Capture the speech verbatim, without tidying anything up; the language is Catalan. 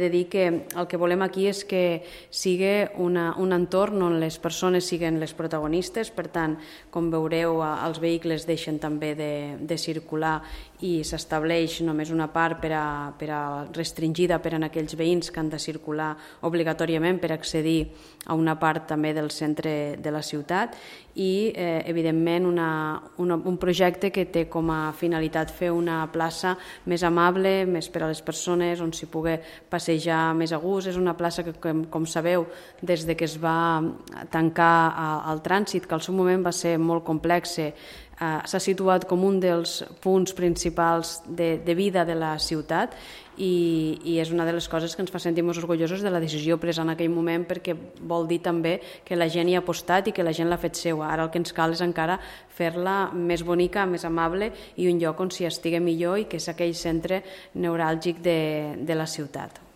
He de dir que el que volem aquí és que sigui una, un entorn on les persones siguin les protagonistes, per tant, com veureu, els vehicles deixen també de, de circular i s'estableix només una part per a, per a restringida per a aquells veïns que han de circular obligatòriament per accedir a una part també del centre de la ciutat i, eh, evidentment, una, una, un projecte que té com a finalitat fer una plaça més amable, més per a les persones, on s'hi pugui passejar més a gust. És una plaça que, com, com sabeu, des de que es va tancar al trànsit, que al seu moment va ser molt complex, Uh, s'ha situat com un dels punts principals de, de vida de la ciutat i, i és una de les coses que ens fa sentir molt orgullosos de la decisió presa en aquell moment, perquè vol dir també que la gent hi ha apostat i que la gent l'ha fet seua. Ara el que ens cal és encara fer-la més bonica, més amable i un lloc on s'hi estigui millor i que és aquell centre neuràlgic de, de la ciutat.